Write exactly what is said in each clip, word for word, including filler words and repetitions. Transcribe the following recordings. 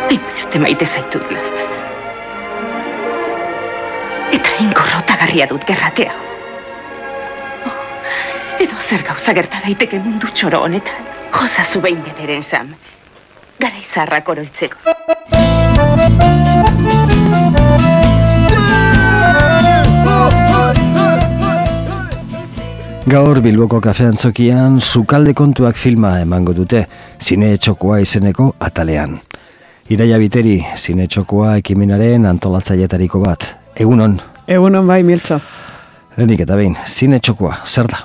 Hainbeste maite zaitut, Laztan. Eta inkorrotagarria dut gerratea. Oh, edo zer gauza gerta daiteke mundu txoro honetan. Jozazu behin bederen, Sam. Gara izarrak oroitzeko. Gaur Bilboko kafeantzokian Sukalde kontuak filma emango dute, Zine Txokoa izeneko atalean. Iraia Biteri, Zine Txokoa ekimenaren antolatzailetariko bat. Egunon? Egunon bai, Miltxo. Lehenik eta behin, Zine Txokoa, zer da?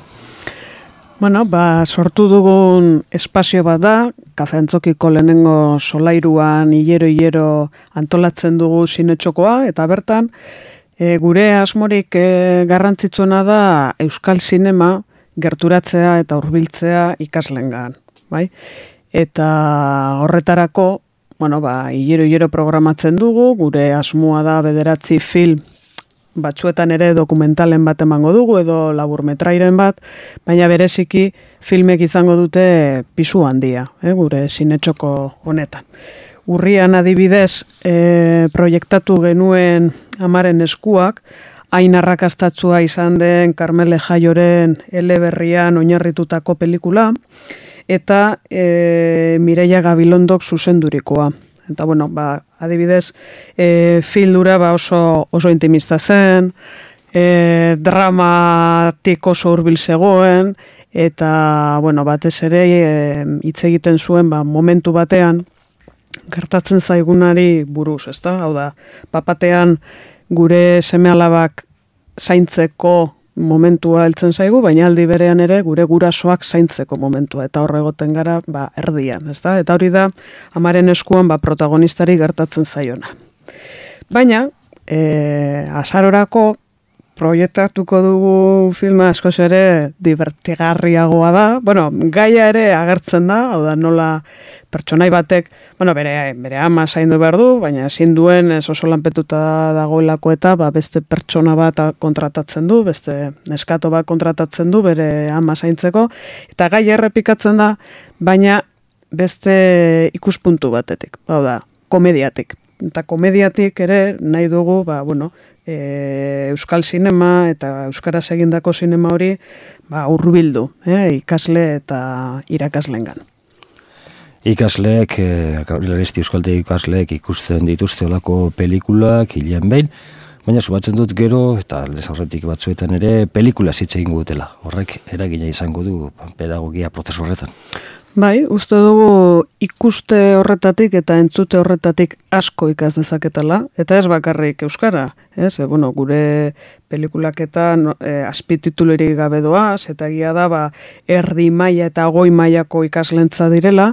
Bueno, ba, sortu dugun espazio bat da, kafeantzokiko lehenengo solairuan hilero-hilero antolatzen dugu Zine Txokoa, eta bertan, E, gure asmorik e, garrantzitsuena da euskal sinema gerturatzea eta hurbiltzea ikaslengan, bai? Eta horretarako, bueno, ba, hilero-hilero programatzen dugu, gure asmoa da bederatzi film, batzuetan ere dokumentalen bat emango dugu edo laburmetrairen bat, baina bereziki filmek izango dute pisu handia, eh, gure Zine Txoko honetan. Urrian adibidez e, proiektatu genuen Amaren eskuak, hain arrakastatsua izan den Karmele Jaioren eleberrian oinarritutako pelikula, eta e, Mireia Gabilondok zuzendurikoa. Eta bueno, ba, adibidez, e, fildura ba oso, oso intimista zen, e, dramatik oso hurbil zegoen, eta bueno, batez ere hitz egiten zuen ba, momentu batean, gertatzen zaigunari buruz, ezta? Hau da, papatean gure seme-alabak zaintzeko momentua heltzen zaigu, baina aldi berean ere gure gurasoak zaintzeko momentua, eta hor egoten gara ba, erdian, ezta? Eta hori da, Amaren eskuan ba, protagonistari gertatzen zaiona. Baina, e, azarorako proiektatuko dugu filma askoz ere divertigarriagoa da. Bueno, gaia ere agertzen da, hau da nola pertsonai batek, bueno, bere, bere ama zaindu behar du, baina ezin duen ez oso lanpetuta dagoelako eta ba, beste pertsona bat kontratatzen du, beste neskato bat kontratatzen du bere ama zaintzeko, eta gaia errepikatzen da, baina beste ikuspuntu batetik, hau da, komediatik. Eta komediatik ere nahi dugu, ba, bueno, E, euskal sinema eta euskaraz egindako sinema hori ba, hurbildu, eh, ikasle eta irakaslengan. Ikasleek, e, euskalde ikasleek ikusten dituzte olako pelikulak hilean behin, baina subatzen dut gero, eta aldez aurretik batzuetan ere, pelikula hitz egingo dutela. Horrek eragina izango du pedagogia prozesu horretan. Bai, uste dugu ikuste horretatik eta entzute horretatik asko ikas dezaketela, eta ez bakarrik euskara, ez? E, bueno, gure pelikulak eta no, e, azpititulerik gabe doaz, eta egia da, ba, erdi maila eta goi mailako ikaslentza direla,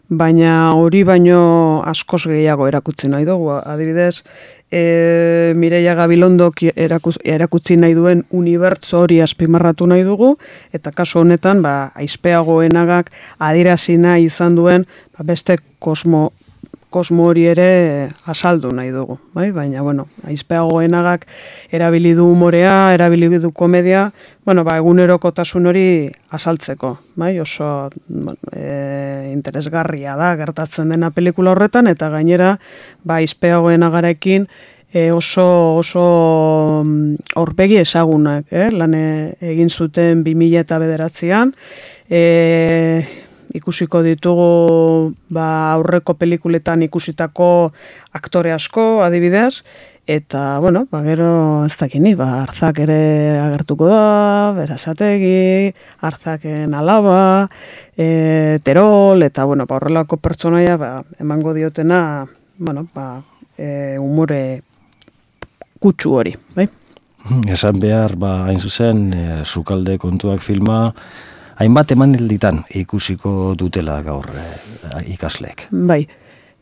baina hori baino askoz gehiago erakutsi nahi dugu. Adibidez, e, Mireia Gabilondok erakutsi, erakutsi nahi duen unibertso hori azpimarratu nahi dugu, eta kasu honetan, ba, aizpeagoenagak adierazi nahi izan duen ba, beste kosmo, kosmo hori ere azaldu nahi dugu. Bai? Baina, bueno, aizpeagoenagak erabili du humorea, erabili du komedia, bueno, ba, egunerokotasun hori azaltzeko. Bai? Oso bueno, e, interesgarria da gertatzen dena pelikula horretan, eta gainera ba, aizpeagoenagarekin e, oso oso aurpegi ezagunak, eh? Lan egin zuten bi mila bederatzian, e, ikusiko ditugu ba, aurreko pelikuletan ikusitako aktore asko, adibidez, eta, bueno, ba, gero ez dakini, ba, Arzak ere agertuko da, Berazategi, Arzaken alaba, e, Terol, eta, bueno, ba, horrelako pertsonaia ba, emango diotena, bueno, ba, e, umore kutsu hori, bai? Esan behar, ba, hain zuzen, e, Sukalde kontuak filma, hainbat emanalditan ikusiko dutela gaur e, ikasleek. Bai,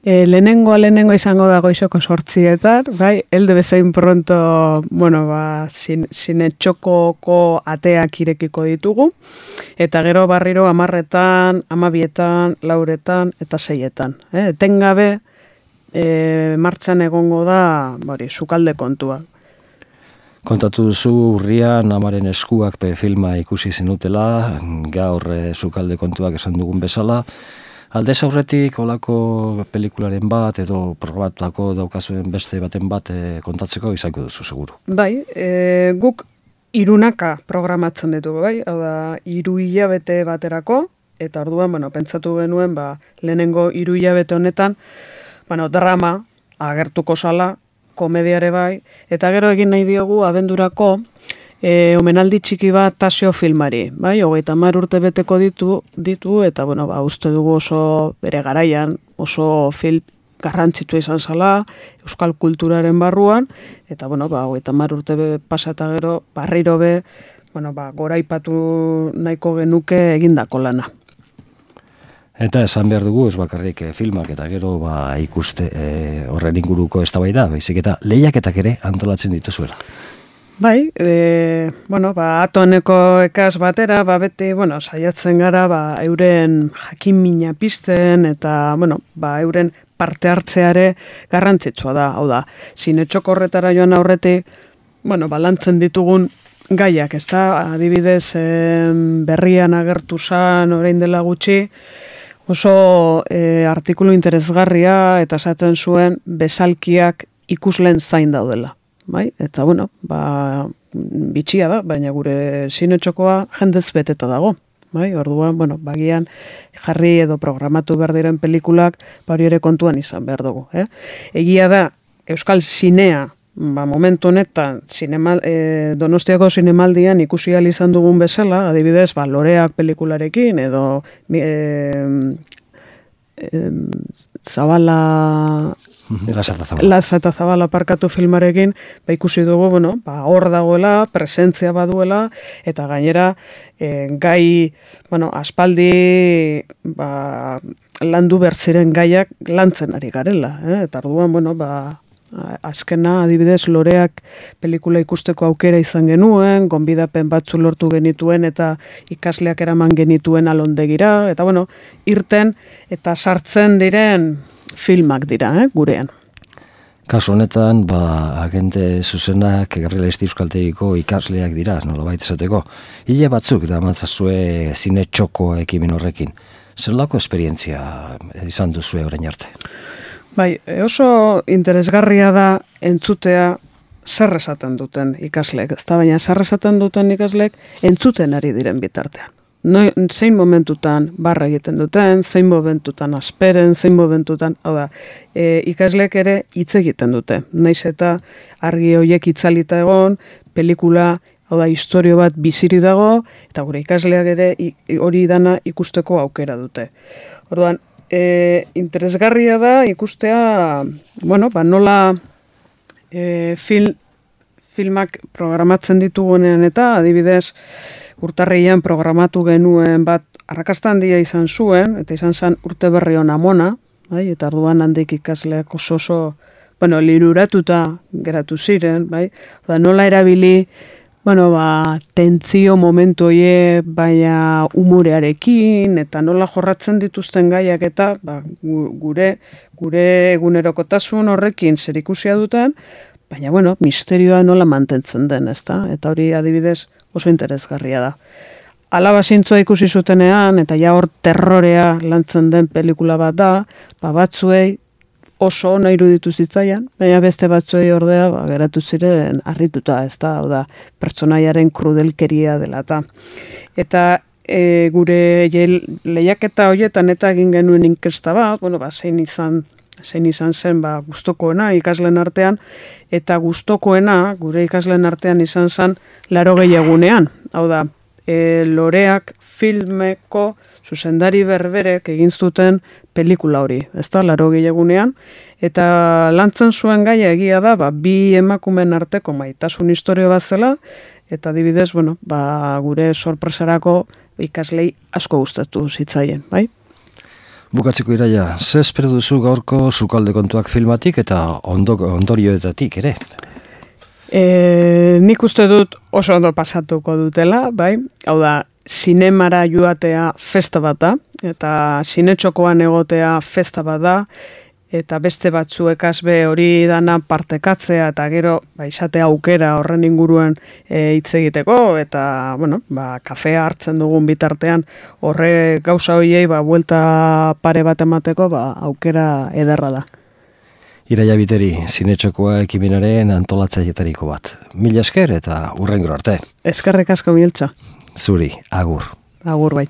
e, lehenengoa lehenengo izango da goizoko sortzietan, bai, elde bezain pronto, bueno, ba, Zine Txokoko ateak irekiko ditugu, eta gero barriro amarretan, amabietan, lauretan eta seietan. Eh? Etengabe e, martxan egongo da, bari, Sukalde kontua. Kontatu duzu urrian Amaren eskuak filma ikusi zenutela, gaur e, Sukalde kontuak esan dugun bezala, Aldez aurretik olako pelikularen bat edo probatutako daukazuen beste baten bat e, kontatzeko izango duzu, seguru. Bai, e, guk irunaka programatzen ditugu, bai? Hau da, hiru hilabete baterako, eta orduan, bueno, pentsatu genuen, ba, lehenengo hiru hilabete honetan, bueno, drama agertuko sala, komediare bai, eta gero egin nahi diogu abendurako e, omenaldi txiki bat Tasio filmari, bai, hogeita hamar urte beteko ditu, ditu eta, bueno, ba, uste dugu oso bere garaian, oso film garrantzitua izan zala, euskal kulturaren barruan, eta, bueno, ba, hogeita hamar urte be, pasa eta gero, barriro be, bueno, ba, goraipatu nahiko genuke egindako lana. Eta esan behar dugu, ez bakarrik eh, filmak eta gero ba, ikuste eh, horren inguruko eztabaida, baizik eta lehiaketak ere antolatzen dituzuela. Bai, e, bueno, ba, atoneko ekaz batera, ba, beti, bueno, saiatzen gara, ba, euren jakin mina pizten, eta, bueno, ba, euren parte hartzeare garrantzitsua da, hau da, sinetxoko horretara joan aurretik, bueno, ba, lantzen ditugun gaiak, ez da, adibidez, eh, berrian agertu zan, orain dela gutxi, oso e, artikulu interesgarria eta esaten zuen bezalkiak ikusleen zain daudela. Bai? Eta, bueno, ba, bitxia da, baina gure sinetxokoa jendez beteta dago. Bai? Orduan, bueno, bagian jarri edo programatu behar diren pelikulak bari ere kontuan izan behar dugu. Eh? Egia da, Euskal Zinea, ba, momentu honetan, zinemal, e, Donostiako zinemaldian ikusi ahal izan dugun bezala, adibidez, ba, Loreak pelikularekin, edo e, e, Zabala... Lazata Zabala parkatu filmarekin, ba, ikusi dugu, bueno, ba, hor dagoela, presentzia baduela, eta gainera, e, gai, bueno, aspaldi, ba, landu bertziren gaiak lantzen ari garela, eh? Eta orduan, bueno, ba, azkena, adibidez, Loreak pelikula ikusteko aukera izan genuen, gonbidapen batzu lortu genituen eta ikasleak eraman genituen alondegira, eta bueno, irten eta sartzen diren filmak dira, eh, gurean. Kasu honetan, ba, agente zuzenak Gabriel Esti Euskaltegiko ikasleak dira, nolabait esateko. Hile batzuk da mantzazue zine txoko ekimen horrekin. Zelako esperientzia izan duzue orain arte? Bai, oso interesgarria da entzutea zer esaten duten ikasleek, ez da, baina zer esaten duten ikasleek entzuten ari diren bitartean. No, zein momentutan barra egiten duten, zein momentutan asperen, zein momentutan, hau da, e, ikasleek ere hitz egiten dute. Naiz eta argi horiek itzalita egon, pelikula, hau da, historio bat biziri dago, eta gure ikasleak ere hori dana ikusteko aukera dute. Orduan, E, interesgarria da ikustea, bueno, ba, nola e, film, filmak programatzen ditugunean eta adibidez urtarrian programatu genuen bat arrakasta handia izan zuen, eta izan zen urte berri hona mona, bai, eta orduan handik ikasleak oso oso, bueno, liruratuta geratu ziren, bai, ba, nola erabili, bueno, ba, tentzio momentu hoie, baina umorearekin, eta nola jorratzen dituzten gaiak eta ba, gure, gure egunerokotasun horrekin zerikusia duten, baina, bueno, misterioa nola mantentzen den, ezta? Eta hori adibidez oso interesgarria da. Alaba zintzoa ikusi zutenean, eta ja hor terrorea lantzen den pelikula bat da, ba, batzuei oso ona iruditu zitzaian, baina beste batzuei ordea ba, geratu ziren harrituta, ez da, hau da, pertsonaiaren krudelkeria dela eta. Eta e, gure lehiaketa horietan eta egin genuen inkesta bat, bueno, ba, zein izan, zein izan zen ba, gustokoena ikasleen artean, eta gustokoena gure ikasleen artean izan zen laurogei egunean, hau da, e, Loreak filmeko zuzendari berberek egin zuten pelikula hori, ez da, laurogei egunean, eta lantzen zuen gaia egia da, ba, bi emakumen arteko maitasun historio bat zela, eta adibidez, bueno, ba, gure sorpresarako ikaslei asko gustatu zitzaien, bai? Bukatzeko Iraia, ze espero duzu gaurko Sukalde kontuak filmatik eta ondo, ondorioetatik ere? E, nik uste dut oso ondo pasatuko dutela, bai? Hau da, zinemara joatea festa bat da, eta zinetxokoan egotea festa bat da, eta beste batzuekaz be hori dana partekatzea eta gero ba, izatea aukera horren inguruan hitz egiteko eta bueno, ba, kafea hartzen dugun bitartean horre gauza horiei ba, buelta pare bat emateko ba, aukera ederra da. Iraia Biteri, Zinetxokoa ekimenaren antolatzailetariko bat. Mila esker eta hurrengero arte. Eskerrik asko Mieltxa. Zuri, agur. Agur bai.